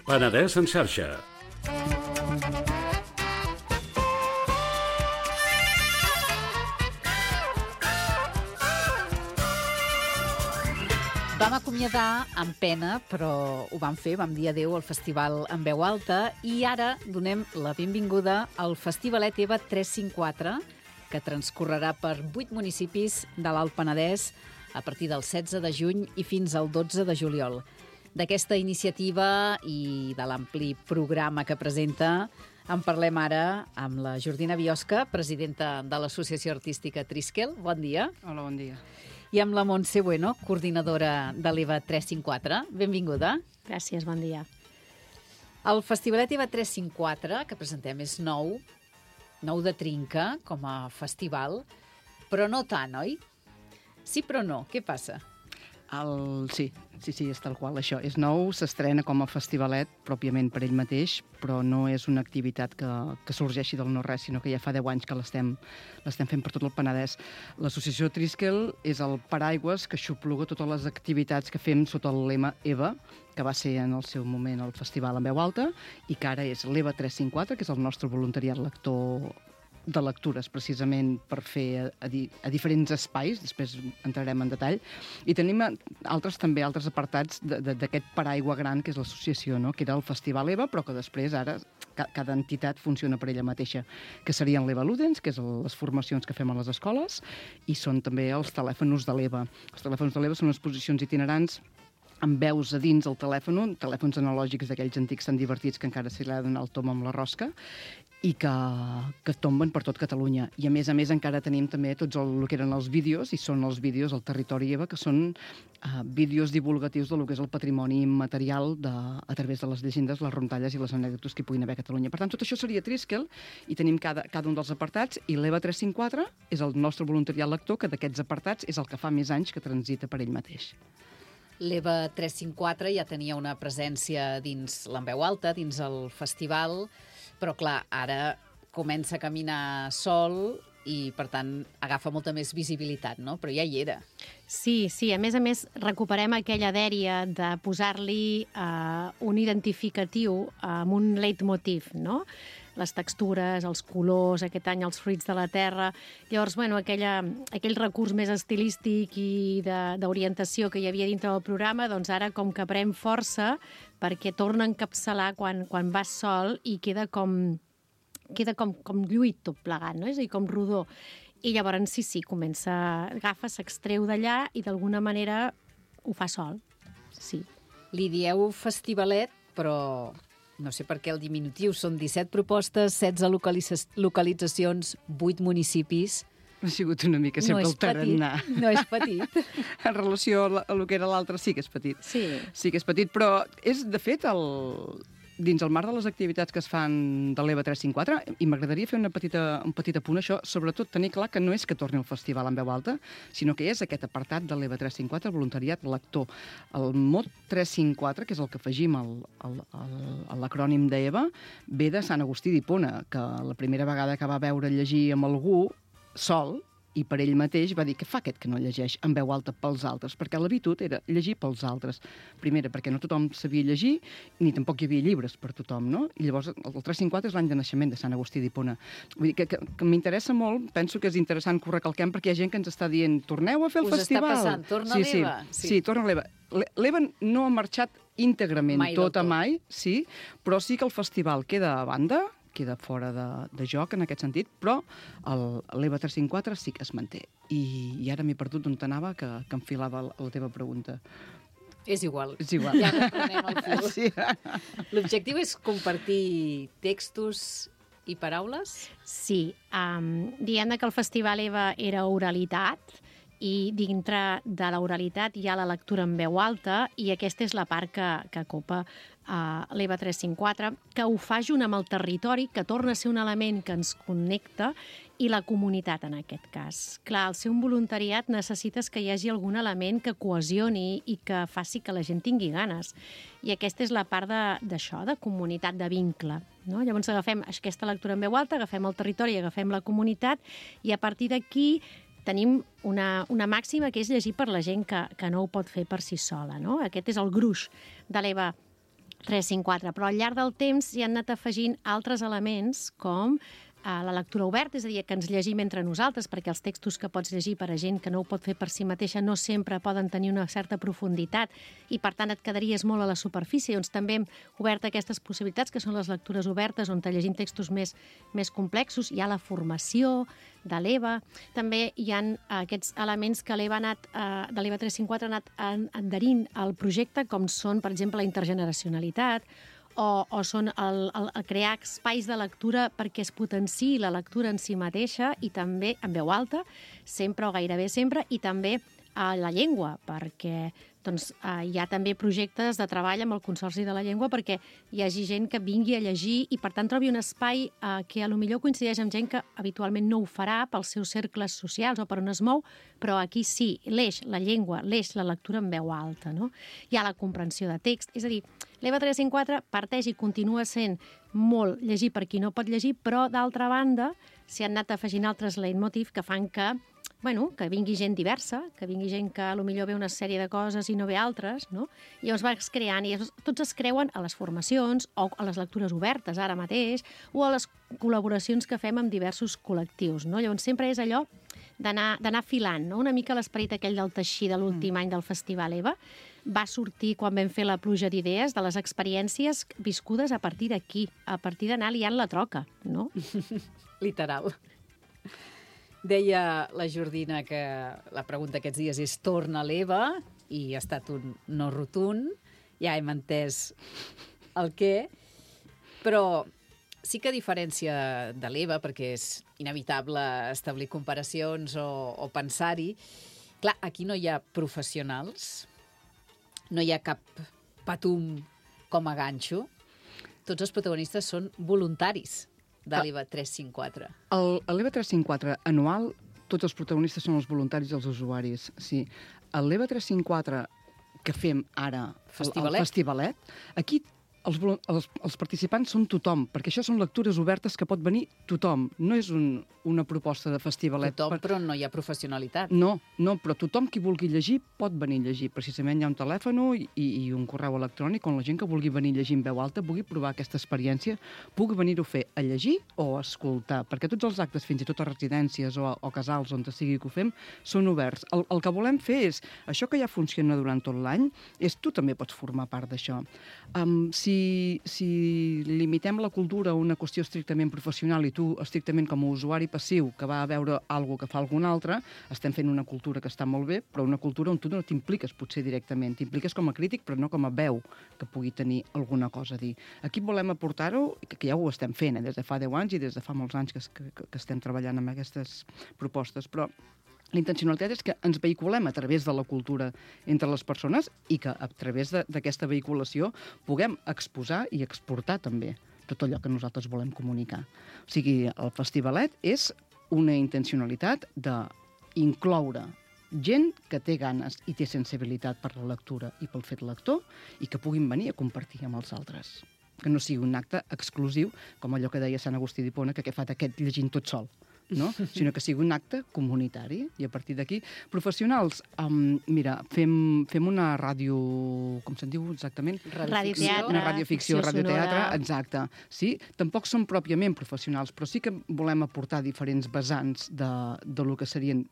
Penedès en xarxa. Vam acomiadar amb pena, però ho vam fer, vam dir adéu al festival en veu alta i ara donem la benvinguda al Festivalet EVA 354, que transcorrerà per 8 municipis de l'Alt Penedès a partir del 16 de juny i fins al 12 de juliol. D'aquesta iniciativa i de l'ampli programa que presenta en parlem ara amb la Jordina Biosca, presidenta de l'Associació Artística Triskel. Bon dia. Hola, bon dia. I amb la Montse Bueno, coordinadora de l'EVA 354. Benvinguda. Gràcies, bon dia. El Festivalet EVA 354, que presentem, és nou de trinca com a festival, però no tant, oi? Sí, però no. Què passa? Sí, és tal qual, això. És nou, s'estrena com a festivalet, pròpiament per ell mateix, però no és una activitat que sorgeixi del no-res, sinó que ja fa 10 anys que l'estem fent per tot el Penedès. L'Associació Triskel és el paraigües que xupluga totes les activitats que fem sota el lema EVA, que va ser en el seu moment el festival en veu alta, i que ara és l'EVA 354, que és el nostre voluntariat lector de lectures, precisament per fer a diferents espais, després entrarem en detall, i tenim altres apartats d'aquest paraigua gran que és l'associació, no? Que era el Festival EVA, però que després ara cada entitat funciona per ella mateixa, que serien l'EVA Ludens, que és les formacions que fem a les escoles, i són també els telèfons de l'EVA. Els telèfons de l'EVA són exposicions itinerants amb veus a dins el telèfon, telèfons analògics d'aquells antics tan divertits que encara se li ha de donar el tom amb la rosca, i que tomben per tot Catalunya. I a més encara tenim també tots el que eren els vídeos, i són els vídeos al territori EVA, que són vídeos divulgatius del que és el patrimoni immaterial a través de les llegendes, les rondalles i les anècdotes que hi puguin haver a Catalunya. Per tant, tot això seria Triskel, i tenim cada un dels apartats, i l'EVA 354 és el nostre voluntariat lector, que d'aquests apartats és el que fa més anys que transita per ell mateix. L'EVA 354 ja tenia una presència dins l'Enveu Alta, dins el festival, però clar, ara comença a caminar sol i, per tant, agafa molta més visibilitat, no? Però ja hi era. Sí, a més, recuperem aquella dèria de posar-li un identificatiu amb un leitmotiv, no? Les textures, els colors, aquest any els fruits de la terra. Llavors, aquell recurs més estilístic i d'orientació que hi havia dintre del programa, doncs ara com que pren força perquè torna a encapçalar quan vas sol i queda com lluït tot plegat, no? És a dir, com rodó. I llavors sí, agafa, s'extreu d'allà i d'alguna manera ho fa sol. Sí. Li dieu festivalet, però no sé per què el diminutiu. Són 17 propostes, 16 localitzacions, 8 municipis. Ha sigut una mica sempre el tarannà. No és petit. En relació a el que era l'altre sí que és petit. Sí que és petit, però és, de fet, dins el marc de les activitats que es fan de l'EVA 354, i m'agradaria fer un petit apunt a això, sobretot tenir clar que no és que torni al festival en veu alta, sinó que és aquest apartat de l'EVA 354, el voluntariat lector. El mot 354, que és el que afegim a l'acrònim d'EVA, ve de Sant Agustí d'Hipona, que la primera vegada que va veure llegir amb algú sol, i per ell mateix va dir que fa aquest que no llegeix en veu alta pels altres, perquè l'habitud era llegir pels altres. Primera, perquè no tothom sabia llegir, ni tampoc hi havia llibres per tothom, no? I llavors el 354 és l'any de naixement de Sant Agustí d'Hipona. Vull dir que m'interessa molt, penso que és interessant que ho recalquem, perquè hi ha gent que ens està dient torneu a fer el festival. Us està passant, torna l'EVA. Sí, torna l'EVA. L'EVA no ha marxat íntegrament mai, sí, però sí que el festival queda a banda, queda fora de joc en aquest sentit, però l'EVA 354 sí que es manté. I ara m'he perdut d'on t'anava, que enfilava la teva pregunta. És igual. Ja reprenem el fil. Sí. L'objectiu és compartir textos i paraules? Sí. Diguem que el Festival EVA era oralitat, i dintre de l'oralitat hi ha la lectura en veu alta, i aquesta és la part que copa l'EVA 354, que ho fa junt amb el territori, que torna a ser un element que ens connecta i la comunitat, en aquest cas. Clar, al ser un voluntariat necessites que hi hagi algun element que cohesioni i que faci que la gent tingui ganes. I aquesta és la part d'això, de comunitat, de vincle. No? Llavors agafem aquesta lectura en veu alta, agafem el territori, agafem la comunitat, i a partir d'aquí tenim una màxima que és llegir per la gent que no ho pot fer per si sola. No? Aquest és el gruix de l'EVA 354, però al llarg del temps s'hi han anat afegint altres elements com la lectura oberta, és a dir, que ens llegim entre nosaltres, perquè els textos que pots llegir per a gent que no ho pot fer per si mateixa no sempre poden tenir una certa profunditat i, per tant, et quedaries molt a la superfície. Doncs també hem obert aquestes possibilitats, que són les lectures obertes, on te llegim textos més complexos. Hi ha la formació de l'EVA. També hi ha aquests elements que l'EVA de l'EVA 354 ha anat adherint al projecte, com són, per exemple, la intergeneracionalitat, o són el crear espais de lectura perquè es potenciï la lectura en si mateixa i també en veu alta, sempre o gairebé sempre, i també a la llengua, perquè hi ha també projectes de treball amb el Consorci de la Llengua perquè hi hagi gent que vingui a llegir i, per tant, trobi un espai que potser coincideix amb gent que habitualment no ho farà pels seus cercles socials o per on es mou, però aquí sí, l'eix, la llengua, l'eix, la lectura en veu alta. No? Hi ha la comprensió de text, és a dir, l'EVA 354 parteix i continua sent molt llegir per qui no pot llegir, però, d'altra banda, s'hi han anat afegint altres leitmotiv que fan que vingui gent diversa, que vingui gent que potser ve una sèrie de coses i no ve altres, no? I llavors vas creant, i tots es creuen a les formacions o a les lectures obertes ara mateix o a les col·laboracions que fem amb diversos col·lectius, no? Llavors sempre és allò d'anar filant, no? Una mica l'esperit aquell del teixir de l'últim any del Festival EVA va sortir quan vam fer la pluja d'idees de les experiències viscudes a partir d'aquí, a partir d'anar liant la troca, no? Literal. Deia la Jordina que la pregunta aquests dies és torna l'EVA i ha estat un no rotund. Ja hem entès el què, però sí que a diferència de l'EVA, perquè és inevitable establir comparacions o pensar-hi, clar, aquí no hi ha professionals, no hi ha cap patum com a ganxo, tots els protagonistes són voluntaris de l'EVA 354. A l'EVA 354 anual, tots els protagonistes són els voluntaris i els usuaris. Sí. A l'EVA 354 que fem ara, el Festivalet, aquí els participants són tothom, perquè això són lectures obertes que pot venir tothom. No és una proposta de festivalet. Tothom, però no hi ha professionalitat. No, però tothom qui vulgui llegir pot venir a llegir. Precisament hi ha un telèfon i un correu electrònic on la gent que vulgui venir a llegir en veu alta vulgui provar aquesta experiència, pugui venir-ho a fer a llegir o a escoltar, perquè tots els actes, fins i tot a residències o casals on sigui que ho fem, són oberts. El que volem fer és, això que ja funciona durant tot l'any, és tu també pots formar part d'això. Si limitem la cultura a una qüestió estrictament professional i tu estrictament com a usuari passiu que va a veure alguna que fa algun altre, estem fent una cultura que està molt bé, però una cultura on tu no t'impliques potser directament, t'impliques com a crític però no com a veu que pugui tenir alguna cosa a dir. Aquí volem aportar-ho, que ja ho estem fent, des de fa 10 anys i des de fa molts anys que estem treballant amb aquestes propostes, però la intencionalitat és que ens vehiculem a través de la cultura entre les persones i que a través d'aquesta vehiculació puguem exposar i exportar també tot allò que nosaltres volem comunicar. O sigui, el Festivalet és una intencionalitat d'incloure gent que té ganes i té sensibilitat per la lectura i pel fet lector i que puguin venir a compartir amb els altres. Que no sigui un acte exclusiu, com allò que deia Sant Agustí d'Hipona, que fa aquest llegint tot sol. No? Sinó que sigui un acte comunitari i a partir d'aquí, professionals mira, fem una ràdio, com se'n diu exactament? Radioteatre. Una radioficció, radioteatre, exacte. Sí, tampoc són pròpiament professionals, però sí que volem aportar diferents vessants de lo que serien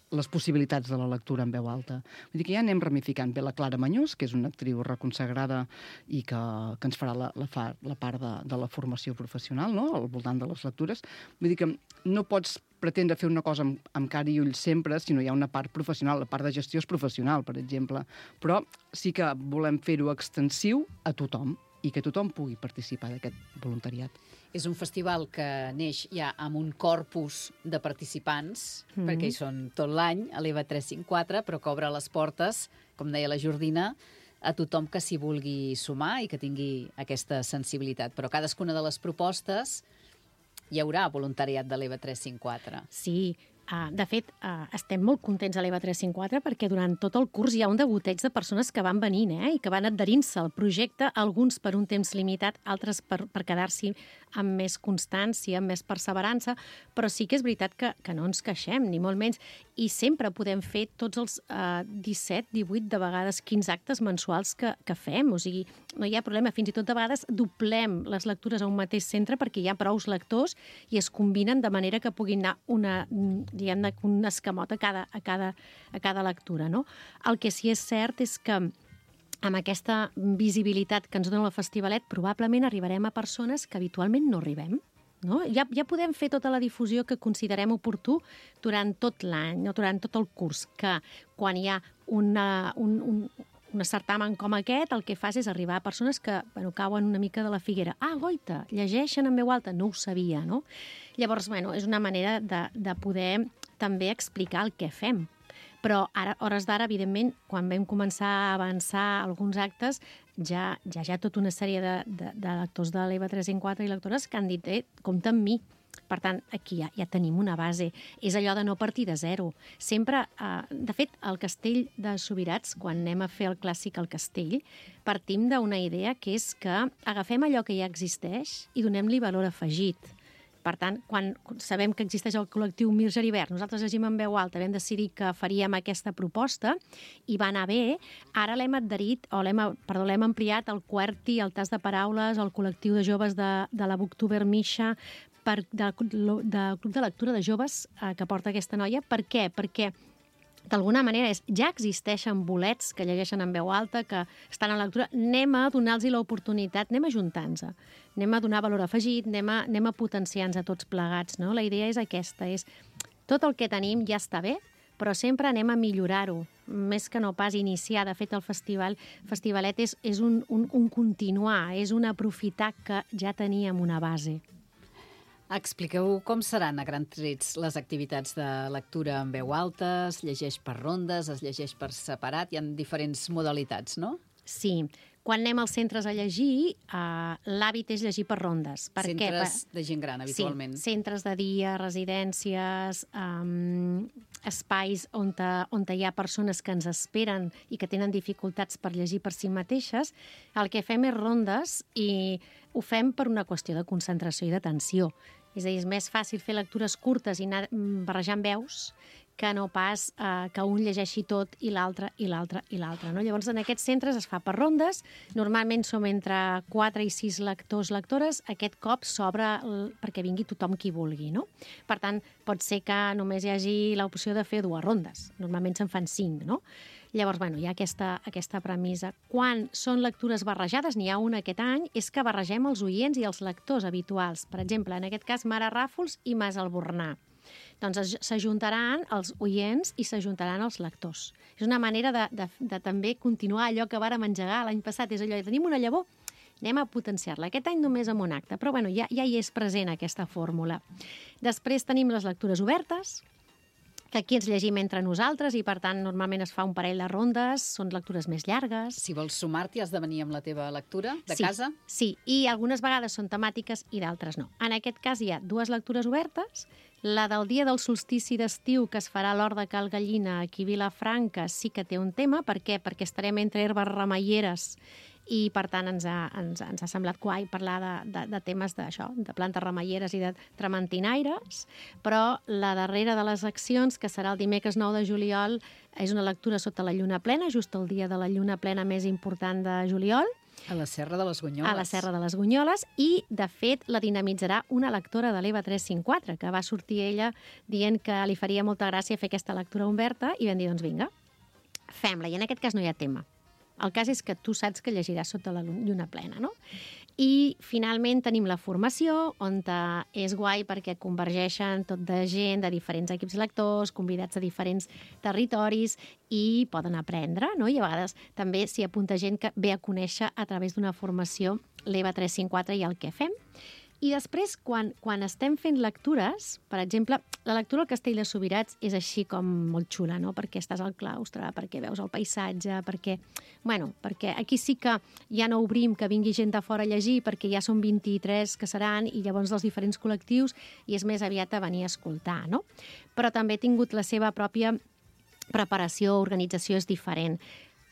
les possibilitats de la lectura en veu alta. Vull dir que ja anem ramificant. Ve la Clara Mañús, que és una actriu reconsagrada i que ens farà la part de la formació professional, no?, al voltant de les lectures. Vull dir que no pots pretendre fer una cosa amb cara i ulls sempre, sinó hi ha una part professional, la part de gestió és professional, per exemple. Però sí que volem fer-ho extensiu a tothom i que tothom pugui participar d'aquest voluntariat. És un festival que neix ja amb un corpus de participants, perquè hi són tot l'any, a l'EVA 354, però que obre les portes, com deia la Jordina, a tothom que s'hi vulgui sumar i que tingui aquesta sensibilitat. Però cadascuna de les propostes hi haurà voluntariat de l'EVA 354. Sí, de fet, estem molt contents a l'EVA 354 perquè durant tot el curs hi ha un degoteig de persones que van venint i que van adherint-se al projecte, alguns per un temps limitat, altres per quedar-s'hi amb més constància, amb més perseverança, però sí que és veritat que no ens queixem, ni molt menys, i sempre podem fer tots els 17, 18, de vegades 15 actes mensuals que fem, o sigui, no hi ha problema, fins i tot de vegades doblem les lectures a un mateix centre perquè hi ha prous lectors i es combinen de manera que puguin anar un escamot a cada lectura, no? El que sí és cert és que amb aquesta visibilitat que ens dona el Festivalet probablement arribarem a persones que habitualment no arribem. No? Ja podem fer tota la difusió que considerem oportú durant tot l'any, no? Durant tot el curs, que quan hi ha un certamen com aquest, el que fas és arribar a persones que cauen una mica de la figuera. Goita, llegeixen en veu alta, no ho sabia, no? Llavors, és una manera de poder també explicar el que fem. Però ara, hores d'ara, evidentment, quan vam començar a avançar alguns actes, ja hi ha tota una sèrie de lectors de l'EVA 354 i lectores que han dit, compta amb mi. Per tant, aquí ja tenim una base. És allò de no partir de zero. Sempre, de fet, al Castell de Subirats, quan anem a fer el clàssic al Castell, partim d'una idea que és que agafem allò que ja existeix i donem-li valor afegit. Per tant, quan sabem que existeix el col·lectiu Mir Geribert, nosaltres llegim en veu alta, vam decidir que faríem aquesta proposta i va anar bé. Ara l'hem adherit, l'hem ampliat al QWERTY, al Tas de Paraules, al col·lectiu de joves de la Booktuber Misha, del Club de Lectura de Joves que porta aquesta noia. Per què? Perquè d'alguna manera ja existeixen bolets que llegeixen en veu alta, que estan a lectura, anem a donar-los l'oportunitat, anem a ajuntar-nos, anem a donar valor afegit, anem a potenciar-nos a tots plegats, no? La idea és aquesta, és tot el que tenim ja està bé, però sempre anem a millorar-ho, més que no pas iniciar. De fet, el Festivalet és un continuar, és un aprofitar que ja teníem una base. Expliqueu com seran a grans trets les activitats de lectura en veu alta, es llegeix per rondes, es llegeix per separat, hi ha diferents modalitats, no? Sí. Quan anem als centres a llegir, l'hàbit és llegir per rondes. Centres de gent gran, habitualment. Sí, centres de dia, residències, espais on hi ha persones que ens esperen i que tenen dificultats per llegir per si mateixes. El que fem és rondes i ho fem per una qüestió de concentració i d'atenció. És a dir, és més fàcil fer lectures curtes i anar barrejant veus que no pas que un llegeixi tot i l'altre i l'altre i l'altre. No? Llavors, en aquests centres es fa per rondes. Normalment som entre 4 i 6 lectors, lectores. Aquest cop s'obre perquè vingui tothom qui vulgui. No? Per tant, pot ser que només hi hagi l'opció de fer 2 rondes. Normalment se'n fan 5, no? Llavors, hi ha aquesta premissa. Quan són lectures barrejades, n'hi ha una aquest any, és que barregem els oients i els lectors habituals. Per exemple, en aquest cas, Mare Ràfols i Mas Albornà. Doncs s'ajuntaran els oients i s'ajuntaran els lectors. És una manera de també continuar allò que vàrem engegar l'any passat. És allò de tenim una llavor, anem a potenciar-la. Aquest any només amb un acte, però ja hi és present aquesta fórmula. Després tenim les lectures obertes, que aquí ens llegim entre nosaltres i, per tant, normalment es fa un parell de rondes, són lectures més llargues. Si vols sumar-t'hi, has de venir amb la teva lectura de casa? Sí, i algunes vegades són temàtiques i d'altres no. En aquest cas hi ha 2 lectures obertes. La del dia del solstici d'estiu, que es farà a l'Hort de Cal Gallina, aquí a Vilafranca, sí que té un tema. Per què? Perquè estarem entre herbes remeieres i, per tant, ens ha semblat guai parlar de temes d'això, de plantes remeieres i de trementinaires, però la darrera de les accions, que serà el dimecres 9 de juliol, és una lectura sota la lluna plena, just el dia de la lluna plena més important de juliol. A la Serra de les Gunyoles. A la Serra de les Gunyoles, i, de fet, la dinamitzarà una lectora de l'EVA 354, que va sortir ella dient que li faria molta gràcia fer aquesta lectura oberta, i vam dir, doncs vinga, fem-la, i en aquest cas no hi ha tema. El cas és que tu saps que llegiràs sota la lluna plena, no? I, finalment, tenim la formació, on és guai perquè convergeixen tot de gent de diferents equips lectors, convidats de diferents territoris, i poden aprendre, no? I a vegades també s'hi apunta gent que ve a conèixer a través d'una formació l'EVA 354 i el que fem. I després, quan estem fent lectures, per exemple, la lectura al Castell de Subirats és així com molt xula, no? Perquè estàs al claustre, perquè veus el paisatge, perquè aquí sí que ja no obrim que vingui gent de fora a llegir, perquè ja són 23 que seran, i llavors dels diferents col·lectius, i és més aviat a venir a escoltar, no? Però també ha tingut la seva pròpia preparació, organització és diferent.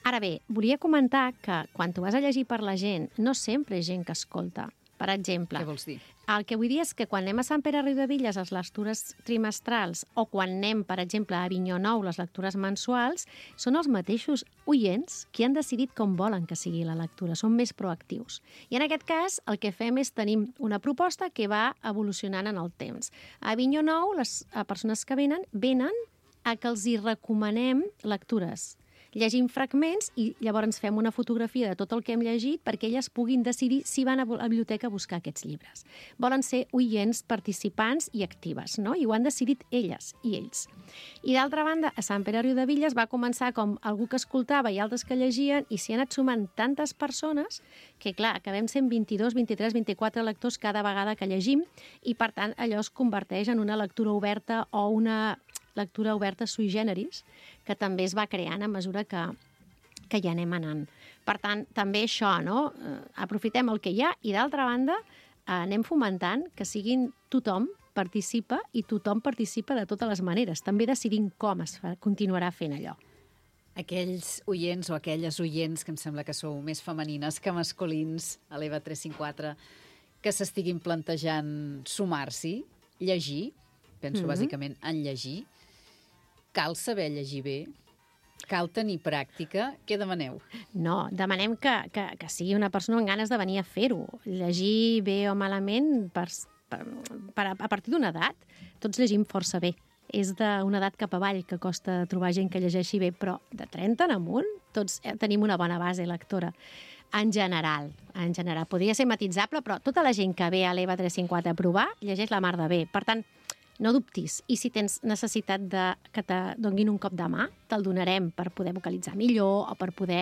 Ara bé, volia comentar que quan tu vas a llegir per la gent, no sempre és gent que escolta. Per exemple, Què vols dir? el que vull dir és que quan anem a Sant Pere Riudebitlles, les lectures trimestrals, o quan anem, per exemple, a Avinyó Nou, les lectures mensuals, són els mateixos oients que han decidit com volen que sigui la lectura, són més proactius. I en aquest cas, el que fem és tenim una proposta que va evolucionant en el temps. A Avinyó Nou, les persones que venen a que els hi recomanem lectures. Llegim fragments i llavors fem una fotografia de tot el que hem llegit perquè elles puguin decidir si van a la biblioteca a buscar aquests llibres. Volen ser oients, participants i actives, no? I ho han decidit elles i ells. I d'altra banda, a Sant Pere Riudebitlles va començar com algú que escoltava i altres que llegien i s'hi han anat sumant tantes persones que, clar, acabem sent 22, 23, 24 lectors cada vegada que llegim i, per tant, allò es converteix en una lectura oberta o una lectura oberta sui generis, que també es va creant a mesura que hi anem anant. Per tant, també això, no? Aprofitem el que hi ha i, d'altra banda, anem fomentant que siguin tothom participa i tothom participa de totes les maneres, també decidint com es continuarà fent allò. Aquells oients o aquelles oients, que em sembla que sou més femenines que masculins, a l'EVA 354, que s'estiguin plantejant sumar-s'hi, llegir, penso bàsicament en llegir, cal saber llegir bé, cal tenir pràctica. Què demaneu? No, demanem que sigui una persona amb ganes de venir a fer-ho. Llegir bé o malament a partir d'una edat. Tots llegim força bé. És d'una edat cap avall que costa trobar gent que llegeixi bé, però de 30 en amunt tots tenim una bona base lectora. En general. Podria ser matitzable, però tota la gent que ve a l'EVA 354 a provar llegeix la mar de bé. Per tant, no dubtis. I si tens necessitat que te donguin un cop de mà, te'l donarem per poder vocalitzar millor o per poder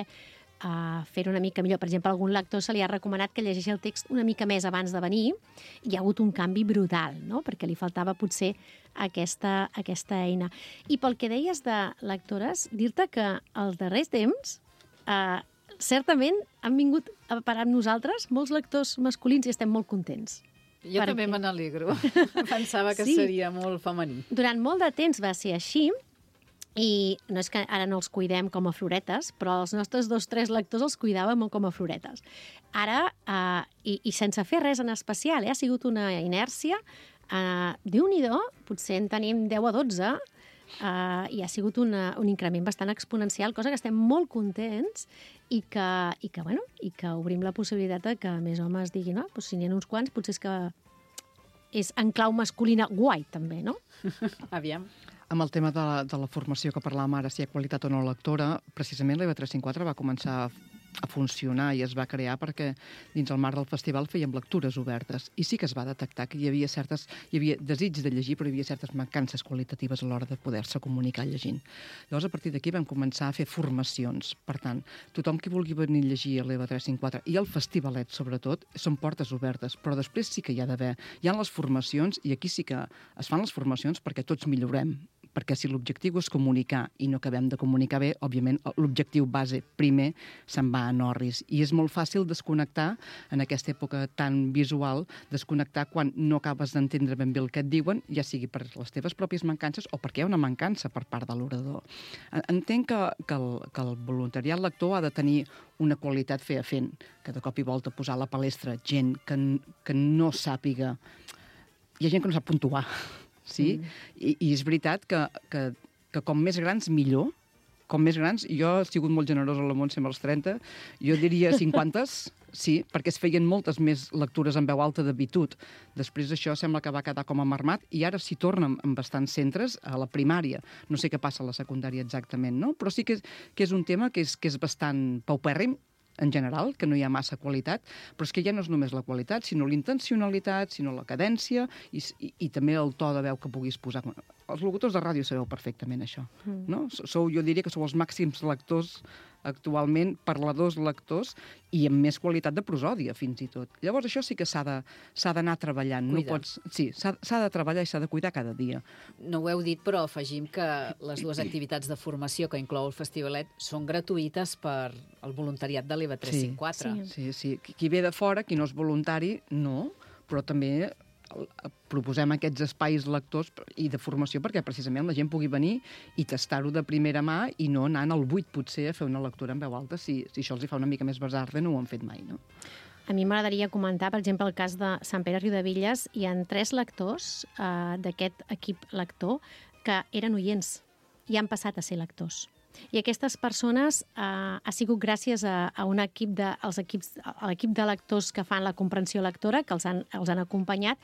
fer-ho una mica millor. Per exemple, a algun lector se li ha recomanat que llegeixi el text una mica més abans de venir i hi ha hagut un canvi brutal, no? Perquè li faltava potser aquesta eina. I pel que deies de lectores, dir-te que els darrers temps certament han vingut a parar amb nosaltres molts lectors masculins i estem molt contents. Jo també me n'alegro. Pensava que seria molt femení. Durant molt de temps va ser així, i no és que ara no els cuidem com a floretes, però els nostres 2-3 lectors els cuidàvem molt com a floretes. Ara, i sense fer res en especial, ha sigut una inèrcia, Déu-n'hi-do, potser en tenim 10 o 12, i ha sigut un increment bastant exponencial, cosa que estem molt contents i que obrim la possibilitat de que més homes diguin, no? Pues si n'hi ha uns quants, potser és que és en clau masculina guai, també, no? Aviam. Amb el tema de la formació que parlàvem ara, si hi ha qualitat o no lectora, precisament l'EVA 354 va començar a funcionar i es va crear perquè dins el marc del festival fèiem lectures obertes i sí que es va detectar que hi havia desig de llegir, però hi havia certes mancances qualitatives a l'hora de poder-se comunicar llegint. Llavors, a partir d'aquí vam començar a fer formacions. Per tant, tothom qui vulgui venir a llegir a l'EVA 354 i el festivalet, sobretot, són portes obertes, però després sí que hi ha les formacions i aquí sí que es fan les formacions perquè tots millorem, perquè si l'objectiu és comunicar i no acabem de comunicar bé, òbviament l'objectiu base primer se'n va a Norris. I és molt fàcil desconnectar en aquesta època tan visual, desconnectar quan no acabes d'entendre ben bé el que et diuen, ja sigui per les teves pròpies mancances o perquè hi ha una mancança per part de l'orador. Entenc que el voluntariat lector ha de tenir una qualitat fent, que de cop i volta posar a la palestra gent que no sàpiga... Hi ha gent que no sap puntuar, sí? I és veritat que com més grans, millor. Com més grans, jo he sigut molt generosa a la Montse amb els 30, jo diria 50, sí, perquè es feien moltes més lectures en veu alta d'habitud. Després això sembla que va quedar com a marmat i ara s'hi tornen en bastants centres a la primària. No sé què passa a la secundària exactament, no? Però sí que és un tema que és bastant paupèrrim, en general, que no hi ha massa qualitat, però és que ja no és només la qualitat, sinó l'intencionalitat, sinó la cadència i també el to de veu que puguis posar. Els locutors de ràdio sabeu perfectament això, no? Jo diria que sou els màxims lectors actualment parladors, lectors, i amb més qualitat de prosòdia, fins i tot. Llavors, això sí que s'ha d'anar treballant. No pots... Sí, s'ha de treballar i s'ha de cuidar cada dia. No ho heu dit, però afegim que les dues activitats de formació que inclou el Festivalet són gratuïtes per al voluntariat de l'EVA 354. Sí. Qui ve de fora, qui no és voluntari, no, però també proposem aquests espais lectors i de formació perquè precisament la gent pugui venir i tastar-ho de primera mà i no anant al buit, potser, a fer una lectura en veu alta. Si això els fa una mica més basarda, no ho han fet mai, no? A mi m'agradaria comentar, per exemple, el cas de Sant Pere Riudebitlles. Hi ha 3 lectors d'aquest equip lector que eren oients i han passat a ser lectors. I aquestes persones ha sigut gràcies a un equip l'equip de lectors que fan la comprensió lectora, que els han acompanyat,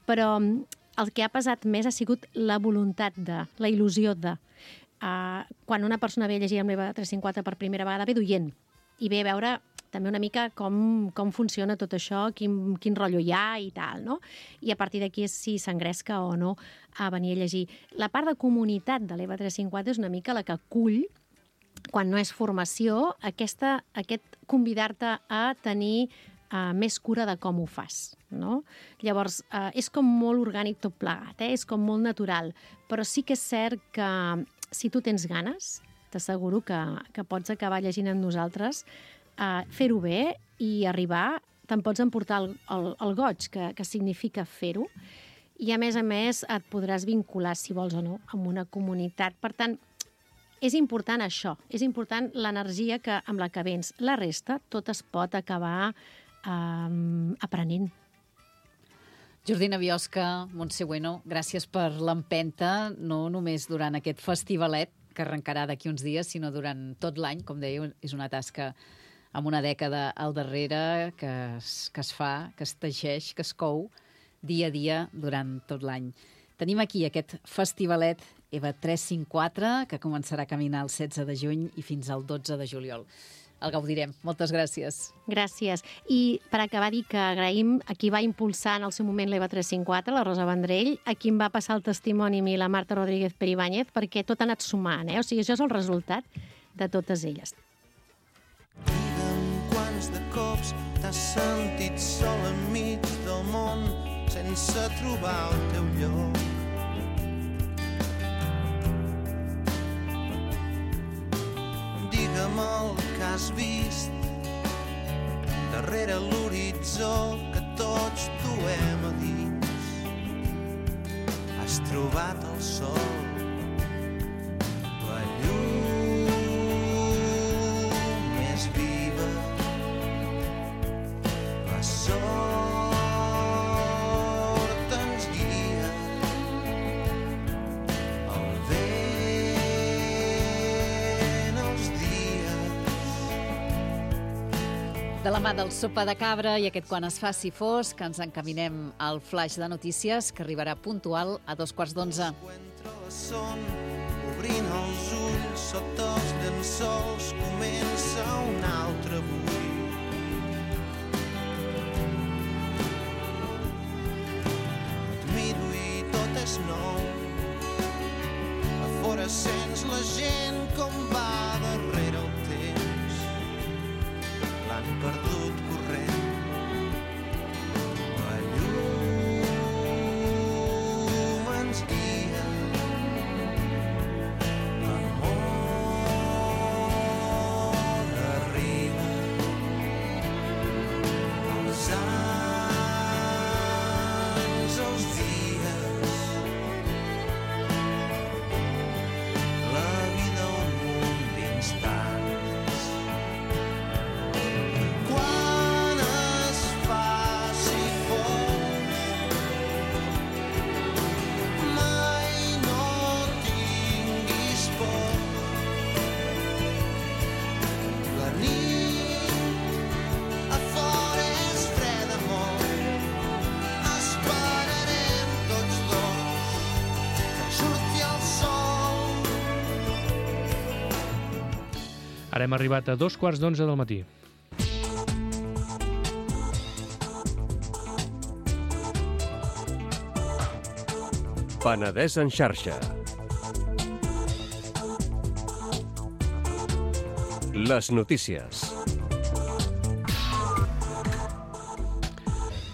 però el que ha pesat més ha sigut la voluntat la il·lusió de. Quan una persona ve a llegir amb l'EVA 354 per primera vegada, ve d'oient i ve a veure també una mica com funciona tot això, quin rotllo hi ha i tal, no? I a partir d'aquí és si s'engresca o no a venir a llegir. La part de comunitat de l'EVA 354 és una mica la que acull, quan no és formació, aquest convidar-te a tenir més cura de com ho fas, no? Llavors, és com molt orgànic tot plegat, és com molt natural, però sí que és cert que si tu tens ganes, t'asseguro que pots acabar llegint amb nosaltres, fer-ho bé i arribar, te'n pots emportar el goig, que significa fer-ho, i a més et podràs vincular, si vols o no, amb una comunitat. Per tant, és important això, és important l'energia amb la que vens. La resta, tot es pot acabar aprenent. Jordina Biosca, Montse Bueno, gràcies per l'empenta, no només durant aquest festivalet, que arrencarà d'aquí uns dies, sinó durant tot l'any. Com dèieu, és una tasca amb una dècada al darrere que es fa, que es teixeix, que es cou dia a dia durant tot l'any. Tenim aquí aquest festivalet EVA 354, que començarà a caminar el 16 de juny i fins al 12 de juliol. El gaudirem. Moltes gràcies. Gràcies. I per acabar, dir que agraïm a qui va impulsar en el seu moment l'EVA 354, la Rosa Vendrell, a qui em va passar el testimoni a mi, la Marta Rodríguez Peribáñez, perquè tot ha anat sumant, O sigui, això és el resultat de totes elles. Digue'm quants de cops t'has sentit sol enmig del món sense trobar el teu lloc. Digue'm el que has vist darrere l'horitzó que tots duem a dins. Has trobat el sol, la llum més viva, la sort ens guia, el vent els dies. De la mà del Sopa de Cabra i aquest Quan es faci fosc, ens encaminem al flaix de notícies que arribarà puntual a 11:15. Obrint els ulls sota els llençols comença un altre avui. Et miro i tot és nou. A fora sents la gent com va darrere el temps. L'han perdut corrent. La llum ens guia. L'amor arriba. Els anys, els dies. La vida un munt d'instants. Quan es faci fosc, mai no tinguis por. La nit a fora és freda molt. Esperarem tots dos que surti el sol. Ara hem arribat a 11:15 del matí. Penedès en xarxa. Les notícies.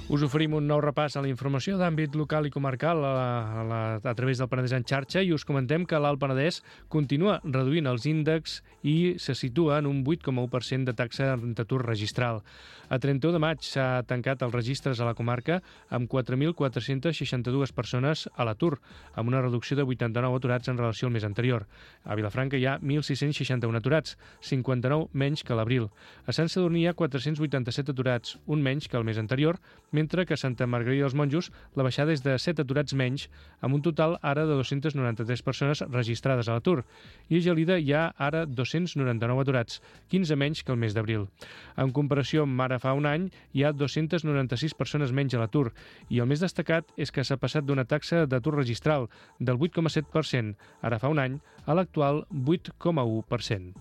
Us oferim un nou repàs a la informació d'àmbit local i comarcal a través del Penedès en xarxa i us comentem que l'Alt Penedès continua reduint els índexs i se situa en un 8,1% de taxa d'atur registral. A 31 de maig s'ha tancat els registres a la comarca amb 4.462 persones a l'atur, amb una reducció de 89 aturats en relació al mes anterior. A Vilafranca hi ha 1.661 aturats, 59 menys que a l'abril. A Sant Sadurní hi ha 487 aturats, un menys que el mes anterior, mentre que a Santa Margarida dels Monjos la baixada és de 7 aturats menys, amb un total ara de 293 persones registrades a l'atur. I a Gelida hi ha ara 299 aturats, 15 menys que el mes d'abril. En comparació amb ara fa un any, hi ha 296 persones menys a l'atur, i el més destacat és que s'ha passat d'una taxa d'atur registral del 8,7% ara fa un any a l'actual 8,1%.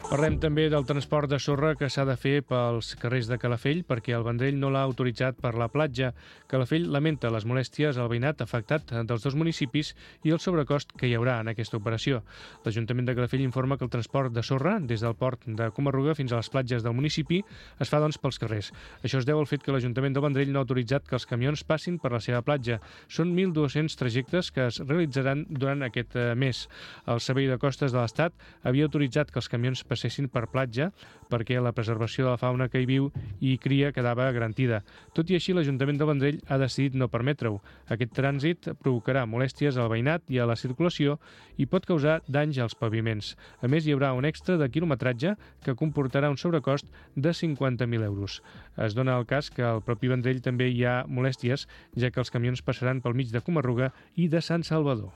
Parlem també del transport de sorra que s'ha de fer pels carrers de Calafell perquè el Vendrell no l'ha autoritzat per la platja. Calafell lamenta les molèsties al veïnat afectat dels dos municipis i el sobrecost que hi haurà en aquesta operació. L'Ajuntament de Calafell informa que el transport de sorra des del port de Comarruga fins a les platges del municipi es fa pels carrers. Això es deu al fet que l'Ajuntament del Vendrell no ha autoritzat que els camions passin per la seva platja. Són 1.200 trajectes que es realitzaran durant aquest mes. El Servei de Costes de l'Estat havia autoritzat que els camions passessin per platja perquè la preservació de la fauna que hi viu i cria quedava garantida. Tot i així, l'Ajuntament del Vendrell ha decidit no permetre-ho. Aquest trànsit provocarà molèsties al veïnat i a la circulació i pot causar danys als paviments. A més, hi haurà un extra de quilometratge que comportarà un sobrecost de 50.000 euros. Es dona el cas que al propi Vendrell també hi ha molèsties, ja que els camions passaran pel mig de Comarruga i de Sant Salvador.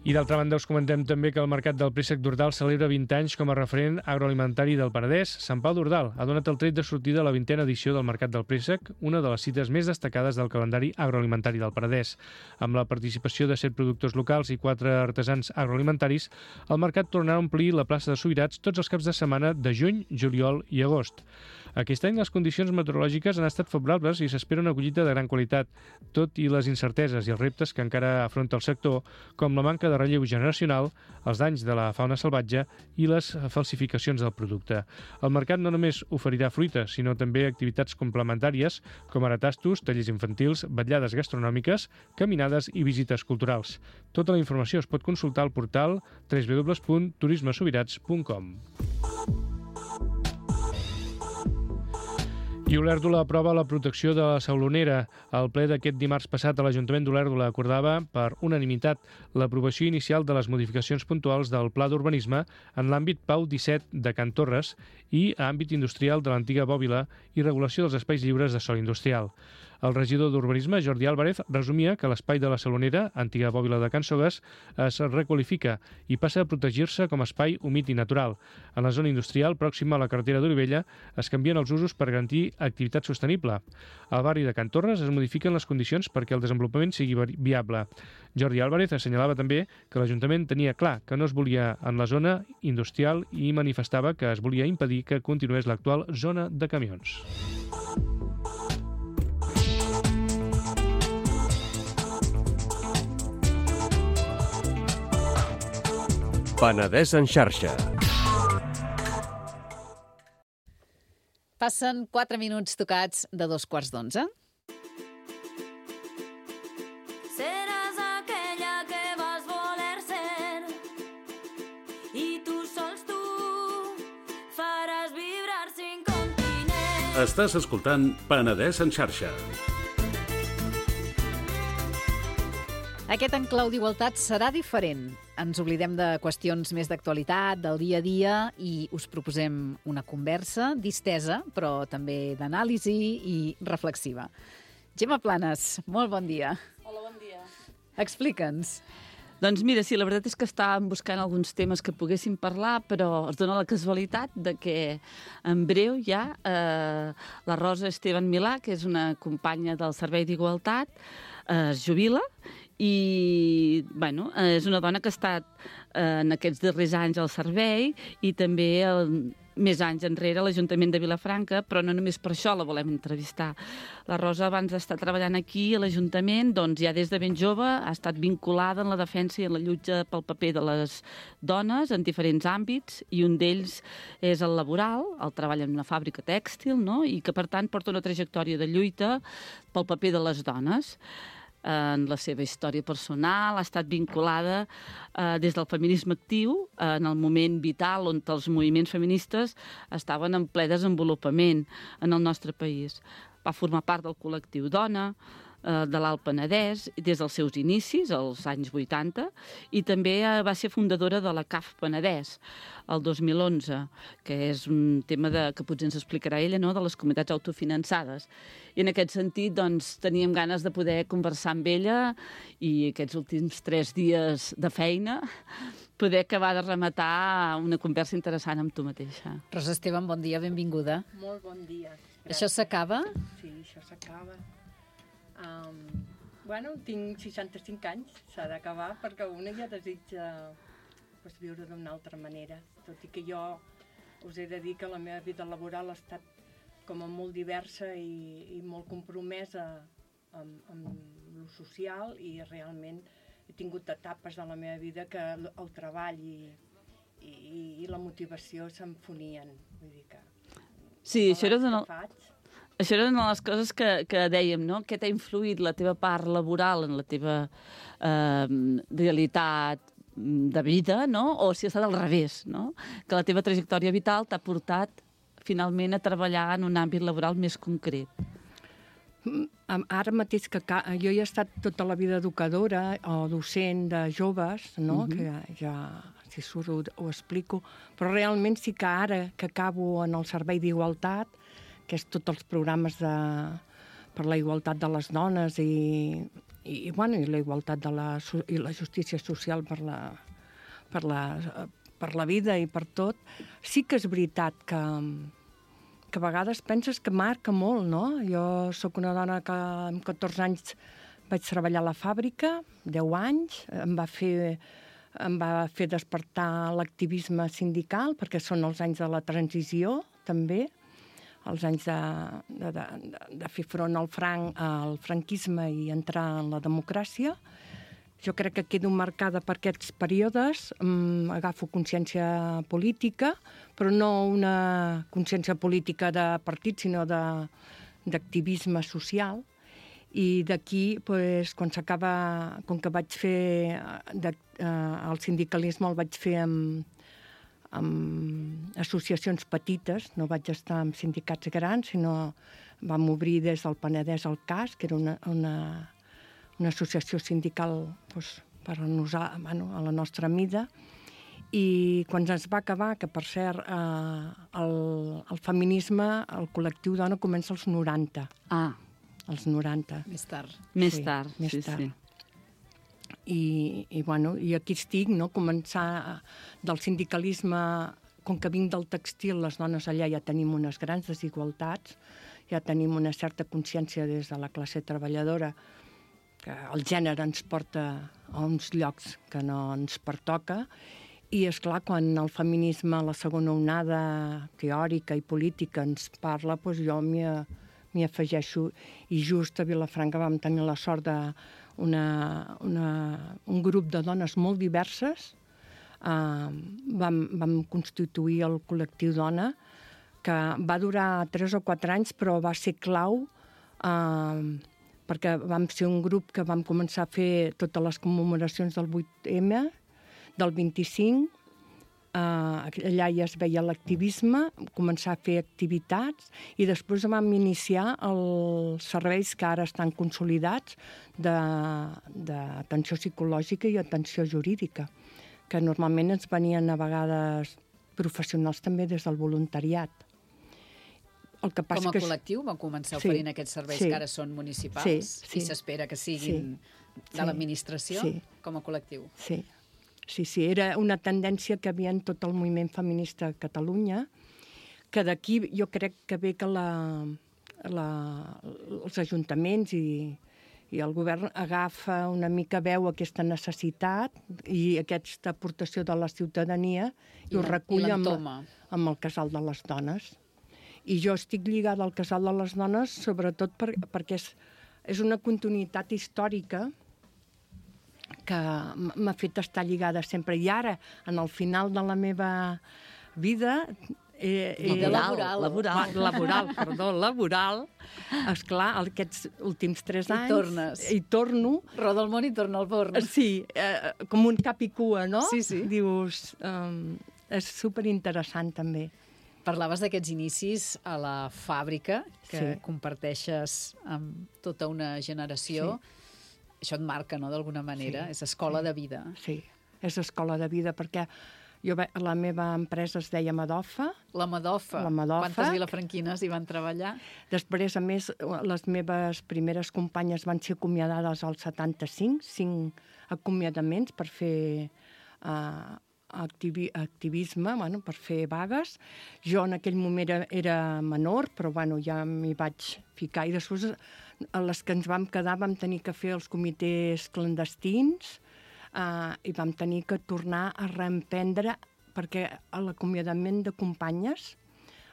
I d'altra banda us comentem també que el Mercat del Préssec d'Ordal celebra 20 anys com a referent agroalimentari del Penedès. Sant Pau d'Ordal ha donat el tret de sortida a la 20a edició del Mercat del Préssec, una de les cites més destacades del calendari agroalimentari del Penedès. Amb la participació de 7 productors locals i 4 artesans agroalimentaris, el mercat tornarà a omplir la plaça de Subirats tots els caps de setmana de juny, juliol i agost. Aquest any les condicions meteorològiques han estat favorables i s'espera una collita de gran qualitat, tot i les incerteses i els reptes que encara afronta el sector, com la manca de relleu generacional, els danys de la fauna salvatge i les falsificacions del producte. El mercat no només oferirà fruita, sinó també activitats complementàries, com ara tastos, tallers infantils, vetllades gastronòmiques, caminades i visites culturals. Tota la informació es pot consultar al portal www.turismesubirats.com. I Olèrdola aprova la protecció de la saulonera. El ple d'aquest dimarts passat a l'Ajuntament d'Olèrdola acordava per unanimitat l'aprovació inicial de les modificacions puntuals del Pla d'Urbanisme en l'àmbit Pau 17 de Can Torres i àmbit industrial de l'antiga Bòbila i regulació dels espais lliures de sòl industrial. El regidor d'Urbanisme, Jordi Álvarez, resumia que l'espai de la Salonera, antiga Bòbila de Can Sogues, es requalifica i passa a protegir-se com a espai humit i natural. En la zona industrial, pròxima a la carretera d'Olivella, es canvien els usos per garantir activitat sostenible. Al barri de Can Torres es modifiquen les condicions perquè el desenvolupament sigui viable. Jordi Álvarez assenyalava també que l'Ajuntament tenia clar que no es volia en la zona industrial i manifestava que es volia impedir que continués l'actual zona de camions. Penedès en xarxa. Passen 4 minuts tocats de 11:15. Seràs aquella que vas voler ser i tu sols tu faràs vibrar 5 continents. Estàs escoltant Penedès en xarxa. Aquest enclau d'igualtat serà diferent. Ens oblidem de qüestions més d'actualitat, del dia a dia, i us proposem una conversa distesa, però també d'anàlisi i reflexiva. Gemma Planes, molt bon dia. Hola, bon dia. Explica'ns. Doncs mira, sí, la veritat és que estàvem buscant alguns temes que poguéssim parlar, però es dona la casualitat de que en breu ja la Rosa Esteban Milà, que és una companya del Servei d'Igualtat, es jubila i bueno, és una dona que ha estat en aquests darrers anys al servei i també més anys enrere a l'Ajuntament de Vilafranca, però no només per això la volem entrevistar. La Rosa, abans d'estar treballant aquí a l'Ajuntament, doncs ja des de ben jove ha estat vinculada en la defensa i en la lluita pel paper de les dones en diferents àmbits, i un d'ells és el laboral, el treball en una fàbrica tèxtil, no? I que, per tant, porta una trajectòria de lluita pel paper de les dones. En la seva història personal ha estat vinculada des del feminisme actiu en el moment vital on els moviments feministes estaven en ple desenvolupament en el nostre país. Va formar part del col·lectiu Dona, de l'Alt Penedès, des dels seus inicis, als anys 80, i també va ser fundadora de la CAF Penedès, el 2011, que és un tema que potser ens explicarà ella, no?, de les comunitats autofinançades. I en aquest sentit, doncs, teníem ganes de poder conversar amb ella i aquests últims 3 dies de feina poder acabar de rematar una conversa interessant amb tu mateixa. Rosa Esteban, bon dia, benvinguda. Molt bon dia. Gràcies. Això s'acaba? Sí, això s'acaba. Bueno, tinc 65 anys, s'ha d'acabar, perquè una ja desitja viure d'una altra manera. Tot i que jo us he de dir que la meva vida laboral ha estat com a molt diversa i molt compromesa amb lo social, i realment he tingut etapes de la meva vida que el treball i la motivació s'enfonien. Vull dir que... Sí, això era una de les coses que dèiem, no? Què t'ha influït la teva part laboral en la teva realitat de vida, no? O si ha estat al revés, no? Que la teva trajectòria vital t'ha portat finalment a treballar en un àmbit laboral més concret. Ara mateix que jo he estat tota la vida educadora o docent de joves, no? Que ja, si surt ho explico, però realment sí que ara que acabo en el Servei d'Igualtat, que és tots els programes per la igualtat de les dones i la igualtat i la justícia social per la vida i per tot, sí que és veritat que a vegades penses que marca molt, no? Jo sóc una dona que amb 14 anys vaig treballar a la fàbrica, 10 anys, em va fer despertar l'activisme sindical, perquè són els anys de la transició, també, els anys de fer front al franquisme i entrar en la democràcia. Jo crec que quedo marcada per aquests períodes, agafo consciència política, però no una consciència política de partit, sinó d'activisme social. I d'aquí, quan s'acaba, com que vaig fer el sindicalisme, el vaig fer amb associacions petites, no vaig estar en sindicats grans, sinó vam obrir des del Penedès el CAS, que era una associació sindical per a la nostra mida, i quan es va acabar, que per cert el feminisme, el col·lectiu dona comença als 90. Als 90. Més tard. Més tard. I aquí estic, no? Començar del sindicalisme, com que vinc del textil, les dones allà ja tenim unes grans desigualtats, ja tenim una certa consciència des de la classe treballadora que el gènere ens porta a uns llocs que no ens pertoca, i és clar, quan el feminisme, la segona onada teòrica i política ens parla, doncs jo m'hi afegeixo, i just a Vilafranca vam tenir la sort d'un grup de dones molt diverses. Vam constituir el col·lectiu Dona, que va durar 3 o 4 anys, però va ser clau, perquè vam ser un grup que vam començar a fer totes les commemoracions del 8M, del 25, allà ja es veia l'activisme, començar a fer activitats, i després vam iniciar els serveis que ara estan consolidats d'atenció psicològica i atenció jurídica, que normalment ens venien a vegades professionals també des del voluntariat. Com a col·lectiu vau començar oferint aquests serveis que ara són municipals i s'espera que siguin de l'administració com a col·lectiu. Sí, era una tendència que havia en tot el moviment feminista a Catalunya, que d'aquí jo crec que ve que els ajuntaments i I el govern agafa una mica, veu aquesta necessitat i aquesta aportació de la ciutadania i ho recull amb el Casal de les Dones. I jo estic lligada al Casal de les Dones sobretot perquè és una continuïtat històrica que m'ha fet estar lligada sempre. I ara, en el final de la meva vida... Laboral. Esclar, aquests últims 3 anys... I tornes. I torno. Roda el món i torna al forn. Sí, com un cap i cua, no? Sí, sí. Dius, és superinteressant, també. Parlaves d'aquests inicis a la fàbrica, que comparteixes amb tota una generació. Sí. Això et marca, no?, d'alguna manera. És escola de vida. Sí, és escola de vida, perquè la meva empresa es deia Madofa. La Madofa. Quantes vilafranquines hi van treballar? Després, a més, les meves primeres companyes van ser acomiadades al 75, 5 acomiadaments per fer activisme, per fer vagues. Jo en aquell moment era menor, però ja m'hi vaig ficar. I després, a les que ens vam quedar, vam tenir que fer els comitès clandestins, i vam tenir que tornar a reemprendre, perquè l'acomiadament de companyes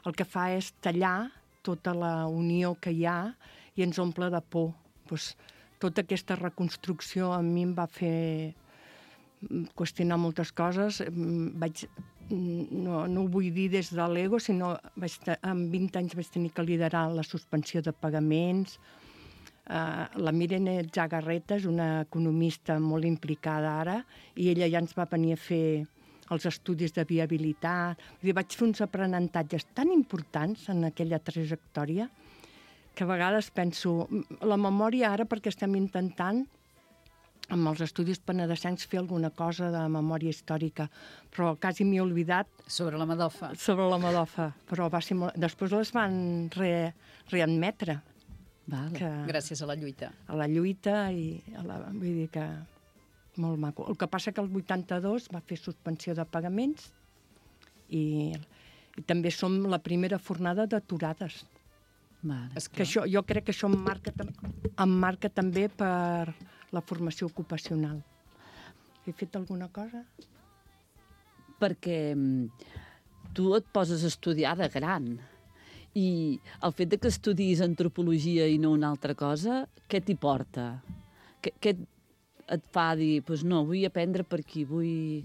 el que fa és tallar tota la unió que hi ha i ens omple de por. Tota aquesta reconstrucció a mi em va fer qüestionar moltes coses. No ho vull dir des de l'ego, sinó amb 20 anys vaig tenir que liderar la suspensió de pagaments. La Mirene Zagarreta és una economista molt implicada ara i ella ja ens va venir a fer els estudis de viabilitat. Vaig fer uns aprenentatges tan importants en aquella trajectòria que a vegades penso... La memòria ara, perquè estem intentant amb els estudis penedesencs fer alguna cosa de memòria històrica, però quasi m'he oblidat... Sobre la Madofa. Sobre la Madofa, però va ser molt... Després les van readmetre. Gràcies a la lluita. A la lluita vull dir que molt maco. El que passa que el 82 va fer suspensió de pagaments i també som la primera fornada d'aturades. Jo crec que això em marca també per la formació ocupacional. He fet alguna cosa? Perquè tu et poses a estudiar de gran. I el fet que estudis antropologia i no una altra cosa, què t'hi porta? Què et fa dir, no, vull aprendre per aquí, vull...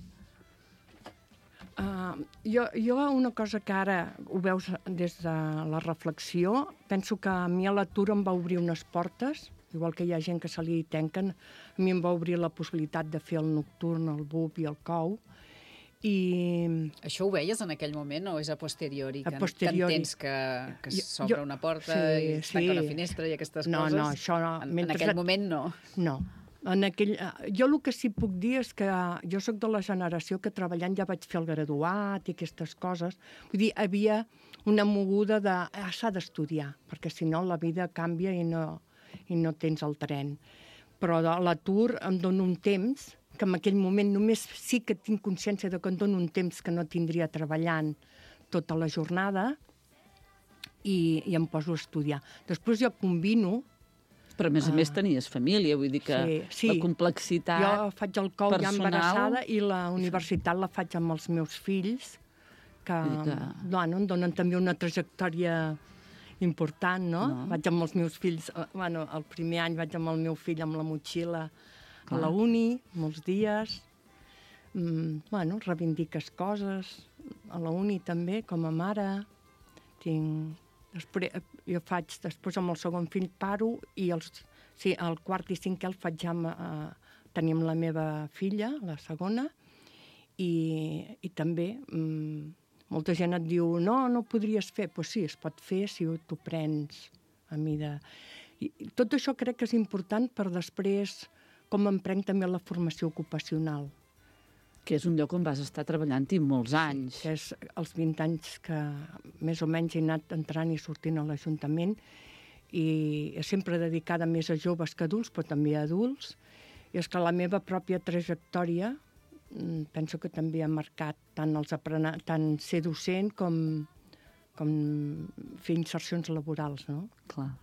Jo una cosa que ara ho veus des de la reflexió, penso que a mi a l'atur em va obrir unes portes, igual que hi ha gent que se li tanquen, a mi em va obrir la possibilitat de fer el nocturn, el BUP i el COU. Això ho veies en aquell moment o és a posteriori? Que entens que s'obre una porta i es tanca una finestra i aquestes coses? No, això no. En aquell moment no. No. Jo el que sí puc dir és que jo sóc de la generació que treballant ja vaig fer el graduat i aquestes coses. Vull dir, havia una moguda de s'ha d'estudiar, perquè si no la vida canvia i no tens el tren. Però a l'atur em dono un temps que en aquell moment només sí que tinc consciència de que em dono un temps que no tindria treballant tota la jornada i em poso a estudiar. Després jo combino... Però a més tenies família, vull dir que la complexitat personal... Jo faig el COU ja embarassada i la universitat la faig amb els meus fills, que em donen també una trajectòria important, no? Vaig amb els meus fills... el primer any vaig amb el meu fill amb la motxilla a la uni, molts dies, reivindiques coses, a la uni també, com a mare, jo faig, després amb el segon fill paro, i el quart i cinquè el faig ja tenim la meva filla, la segona, i també molta gent et diu, no podries fer, doncs sí, es pot fer si t'ho prens a mida. Tot això crec que és important per després com em prenc també la formació ocupacional. Que és un lloc on vas estar treballant-hi molts anys. Que és els 20 anys que més o menys he anat entrant i sortint a l'Ajuntament i sempre dedicada més a joves que adults, però també a adults. I és que la meva pròpia trajectòria penso que també ha marcat tant ser docent com fer insercions laborals, no? Clar.